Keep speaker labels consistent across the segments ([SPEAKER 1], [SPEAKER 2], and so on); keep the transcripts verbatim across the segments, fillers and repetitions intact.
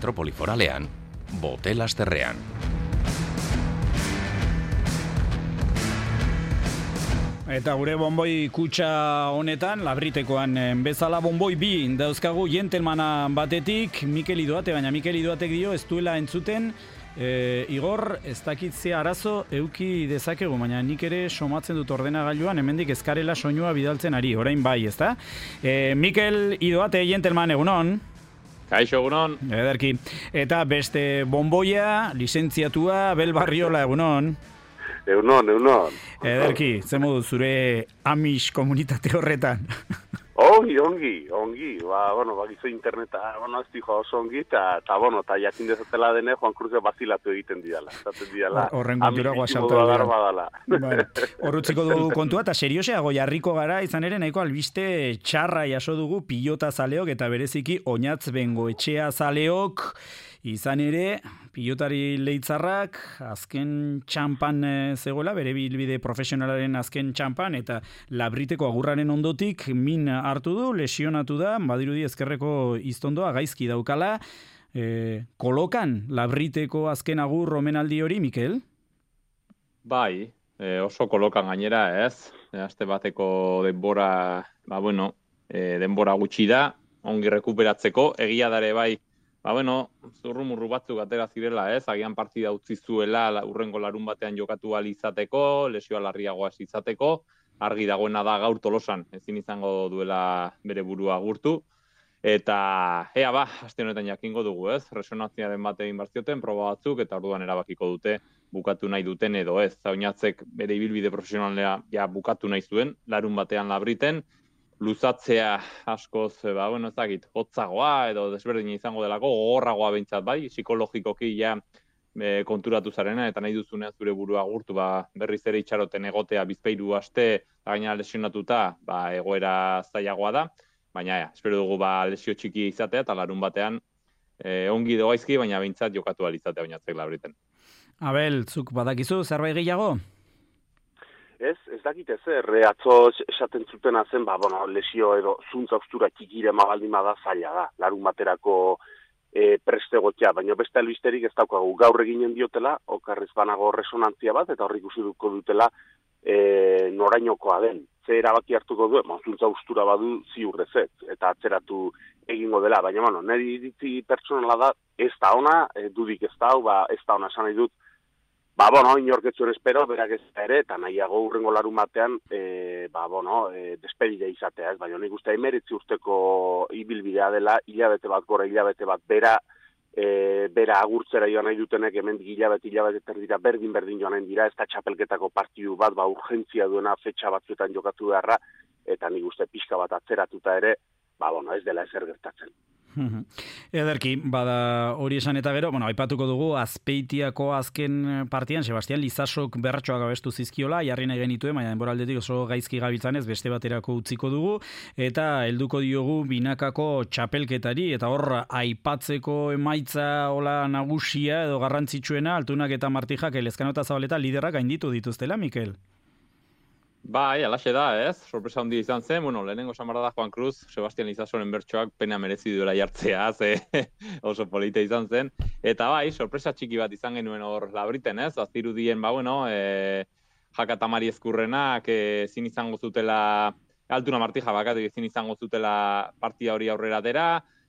[SPEAKER 1] Metropoli Foralean, Bote-Lasterrean.
[SPEAKER 2] Eta gure bonboi kutxa honetan, labritekoan bezala bonboi bi dauzkagu jentelmana batetik, Mikel Idoate, baina Mikel Idoatek dio ez duela entzuten, e, Igor, ez dakitzea arazo euki dezakegu, baina nik ere somatzen dut ordenagailuan, hemendik ezkarela soinua bidaltzen ari, orain bai, ezta? E, Mikel Idoate, jentelman, egunon?
[SPEAKER 3] Kaixo, egunon.
[SPEAKER 2] Ederki. Eta beste bonboia, lizentziatua, Abel Barriola, egunon?
[SPEAKER 4] Egunon, egunon.
[SPEAKER 2] Ederki, ze modu zure Amish komunitate horretan?
[SPEAKER 4] Ongi, ongi, ongi. Ba, bueno, bakizu interneta, bueno, ez dijo oso ongi, eta, eta, bueno, eta jakin dezatela dene, Juan Cruzio bazilatu egiten didala. Zaten didala.
[SPEAKER 2] Horren kontura guasauta
[SPEAKER 4] dira.
[SPEAKER 2] Bueno, horrutziko dugu kontua, eta serioseago jarriko gara, izan ere, nahiko albiste txarra jaso dugu pilota zaleok, eta bereziki oinatz bengo etxea zaleok, izan ere, pilotari leitzarrak azken txampan zegoela, bere bilbide profesionalaren azken txampan, eta labriteko agurraren ondotik min hartu du, lesionatu da, badirudi ezkerreko iztondoa gaizki daukala. E, kolokan labriteko azken agur omenaldi hori, Mikel?
[SPEAKER 3] Bai, e, oso kolokan gainera, ez? E, aste bateko denbora, ba bueno, e, denbora gutxi da, ongi rekuperatzeko, egia dare bai, ba bueno, zurrumurru batzuk atera zirela, ez? Agian partida utzi zuela urrengo larun batean jokatu ahal izateko, lesioa larriagoa izateko, argi dagoena da gaur Tolosan, ezin izango duela bere burua agurtu. Eta ea ba, aste honetan jakingo dugu, ez? Resonantziaren bat egin barzioten, proba batzuk, eta orduan erabakiko dute bukatu nahi duten edo ez. Oinatzek bere ibilbide profesionalea ja bukatu nahi zuen, larun batean labriten, luzatzea askoz, ba, bueno, ez dakit, hotzagoa edo desberdina izango delako, gogorragoa behintzat bai, psikologikoki ja e, konturatu zarena, eta nahi duzunean zure burua agurtu, ba, berriz ere itxaroten egotea bizpairu aste, gaina lesionatuta, ba, egoera zailagoa da, baina ja, espero dugu ba, lesio txiki izatea, eta larun batean e, ongi dogaizki, baina behintzat jokatu ahal izatea oinatzek labriten.
[SPEAKER 2] Abel, zuk badakizu, zerbait gehiago?
[SPEAKER 4] Ez, ez dakit ez, erre atzo esaten zutena zen, ba, bueno, lesio edo zuntza ustura txikire magaldima da zaila da, larun baterako e, prestegotia, baina beste albisterik ez daukagu gaur eginen diotela, okarrez banago resonantzia bat, eta horrik duko dutela e, norainokoa den. Ze erabaki hartuko du, bon, zuntza ustura badu ziurrezet, eta atzeratu egingo dela, baina, bueno, niri iritzi pertsonala da, ez da ona, e, dudik ez da, ba, ez da ona esan nahi dut, ba, bueno, inorketzuen espero, berak ez ere, eta nahiago urrengo larun batean, e, ba, bueno, e, despedida izatea, ez, baina nik uste emeritzi urteko ibilbidea dela, hilabete bat gora, hilabete bat bera, e, bera agurtzera joan nahi dutenek, hemen hilabete, hilabete terdira, berdin-berdin joan nahi dira, ez da txapelketako partidu bat, ba, urgentzia duena fetxa batzuetan jokatu beharra, eta nik uste pixka bat atzeratuta ere, ba, bueno, ez dela ezer gertatzen.
[SPEAKER 2] Ederki, bada hori esan eta gero, bueno, aipatuko dugu Azpeitiako azken partian Sebastian Lizasok berratxoak abestu zizkiola, jarri nahi genituen, baina denboraldetik oso gaizki gabiltzanez beste baterako utziko dugu, eta helduko diogu binakako txapelketari, eta hor aipatzeko emaitza hola nagusia edo garrantzitsuena, Altunak eta Martijak Elezkano eta Zabaleta liderrak gainditu dituztela, Mikel?
[SPEAKER 3] Bai, alaxe da, ez? Sorpresa handia izan zen, bueno, lehenengo samara da Juan Cruz, Sebastian Lizasoren bertsoak pena merezi duela jartzea, ze oso polita izan zen. Eta bai, sorpresa txiki bat izan genuen hor labriten, ez? Azirudien, ba, bueno, e, Jaka Tamari Ezkurrenak ezin izango zutela, Altuna Martija bakatik ezin izango zutela partia hori aurrera dera,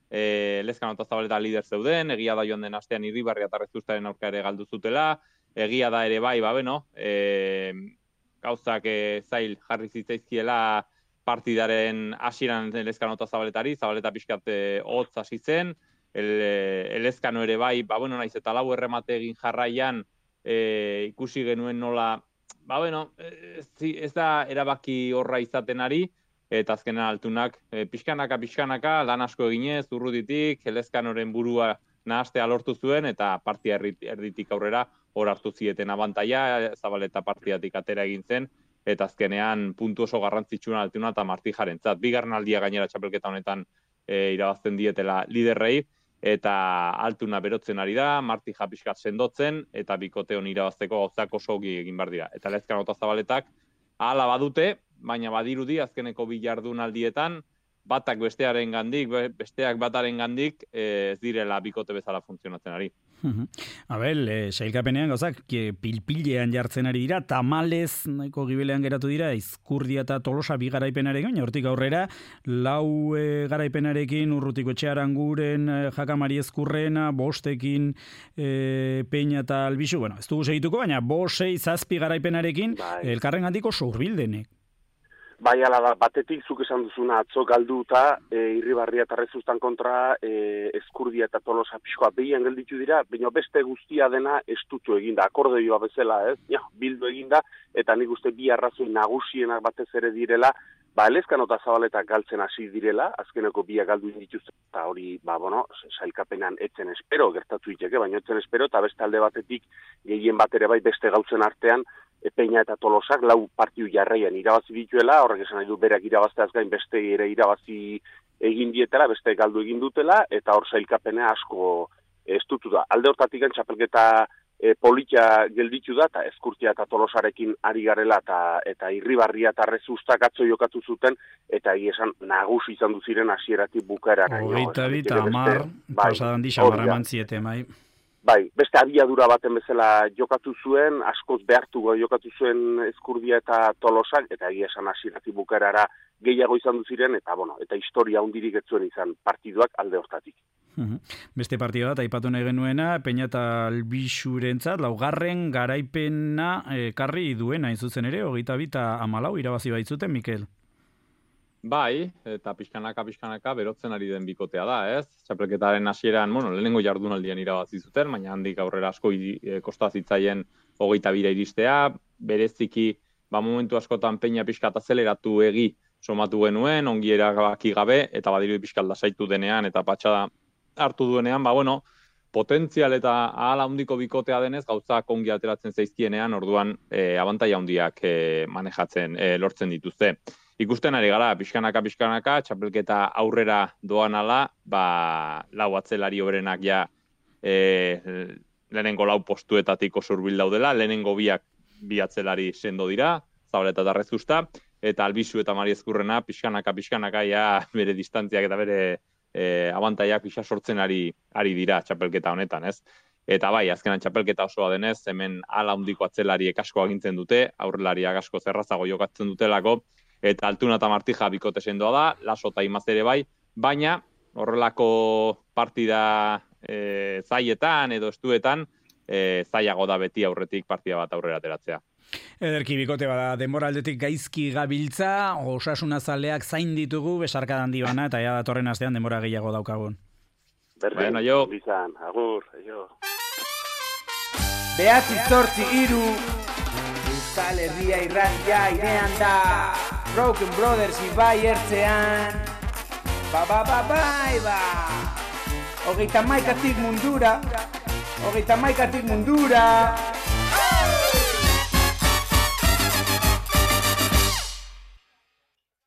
[SPEAKER 3] e, Elezkano eta Zabaleta lider zeuden, egia da joan den astean Irribarria eta Rezustaren aurka ere galdu zutela, egia da ere bai, ba, bueno, e, gauzak e, zail jarri zitzaizkiela partidaren hasieran Elezkano eta Zabaletari, Zabaleta pixkat hotz hasi zen, el, Elezkano ere bai, ba bueno, naiz eta lau erremate egin jarraian e, ikusi genuen nola, ba bueno, ez, ez da erabaki horra izaten ari, eta azkenan Altunak e, pixkanaka, pixkanaka, lan asko eginez, urrutitik, Elezkanoren burua nahastea lortu zuen, eta partia erditik aurrera hor hartu zieten abantaia, Zabaleta partidatik atera egin zen, eta azkenean puntu oso garrantzitsuna Altuna eta Martijarentzat. Bigarren aldia gainera txapelketa honetan e, irabazten dietela liderrei, eta Altuna berotzen ari da, Martija pixkat sendotzen, eta bikote hon irabazteko gauzak oso ogi egin behar dira. Eta Elezkano eta Zabaletak hala badute, baina badirudi azkeneko bi jardunaldietan batak bestearen gandik, besteak bataren gandik, ez direla bikote bezala funtzionatzen ari.
[SPEAKER 2] Abel, e, sailkapenean gauzak pilpilean jartzen ari dira, tamalez nahiko gibelean geratu dira, Izkurdia eta Tolosa bi garaipenarekin, hortik aurrera, lau e, garaipenarekin Urrutiko Etxe Aranguren, e, Jakamari Ezkurrena, bostekin e, Peña eta Albizu, bueno, ez dugu segituko, baina bost, sei, zazpi garaipenarekin, bai. Elkarren gandiko sourbildenek.
[SPEAKER 4] Bai, ala da, batetik zuk esan duzuna atzo galduta, e, Irribarria eta Rezustan kontra, e, Ezkurdia eta Tolosa pixkoa behian gelditu dira, baina beste guztia dena estutu eginda, akordeoa bezala, ez? Ja, bildu eginda, eta nik uste bi arrazoi nagusienak batez ere direla, ba, Elezkano eta Zabaletak galtzen hasi direla, azkeneko biak galdu dituzte, eta hori, ba, bueno, sailkapenean etzen espero, gertatu iteke, baina etzen espero, eta beste alde batetik, gehien bat ere bai beste gautzen artean, Peña eta Tolosak lau partiu jarraian irabazi dituela, horrek esan nahi du berak irabazteaz gain beste ere irabazi egin dietela, beste galdu egin dutela, eta hor sailkapenea asko estutu da. Alde hortatik txapelketa e, politia gelditu da, eta Ezkurtia eta Tolosarekin ari garela, eta, eta Irribarria eta Rezustak atzo jokatu zuten, eta egia esan nagusi izan duziren hasieratik bukaera.
[SPEAKER 2] Hogeita bi eta hamar, pasadan di xamarra eman ziete, mai.
[SPEAKER 4] Bai, beste abiadura baten bezala jokatu zuen, askoz behartu jokatu zuen Ezkurdia eta Tolosak, eta egia esan hasieratik bukaerara gehiago izan du ziren, eta bueno, eta historia hundirik ez zuen izan partiduak alde hortatik.
[SPEAKER 2] Beste partida bat, aipatu nahi genuena, Peña eta Albixurentzat, laugarren garaipena ekarri duena, hain zuzen ere, hogeita bi eta hamalau irabazi baitzuten, Mikel?
[SPEAKER 3] Bai, eta pixkanaka, pixkanaka, berotzen ari den bikotea da, ez? Txapelketaren hasieran, bueno, lehenengo jardunaldian irabazi zuten, baina handik aurrera asko e, kosta zitzaien hogeita bira iristea, bereziki, ba, momentu askotan Peña pixka azeleratu egi somatu genuen, ongi erabaki gabe, eta badiru pixka lasaitu denean, eta patxada hartu duenean, ba, bueno, potentzial eta ahala handiko bikotea denez, gauzak ongi ateratzen zaizkienean, orduan e, abantaia handiak e, manejatzen, e, lortzen dituzte. Ikusten ari gara, pixkanaka, pixkanaka, txapelketa aurrera doan ala, ba, lau atzelari hoberenak ja e, lehenengo lau postuetatik oso hurbil daudela, lehenengo biak bi atzelari sendo dira, Zabaleta eta Rezusta, eta Albizu eta Mari Ezkurrena pixkanaka, pixkanaka ja bere distantziak eta bere e, abantaiak pixa sortzen ari, ari dira txapelketa honetan, ez? Eta bai, azkenan txapelketa osoa denez, hemen ala handiko atzelariek asko agintzen dute, aurrelariak asko zerrazago jokatzen dutelako, eta Altuna eta Martija bikote sendoa da, Laso eta Imaz ere bai, baina horrelako partida e, zaietan edo estuetan, e, zaiago da beti aurretik partida bat aurrera ateratzea.
[SPEAKER 2] Ederki bikote bada, denbora aldetik gaizki gabiltza, Osasuna zaleak zain ditugu, besarka handi bana, eta ja datorren astean denbora gehiago daukagun.
[SPEAKER 4] Berdin, bueno, jo. Bizan, agur, jo.
[SPEAKER 5] Behatzi zortzi iru, Euskal Herria irratia irean da, Broken Brothers ibai ertzean, ba ba ba bai ba, hogeita maikatik mundura, hogeita maikatik mundura,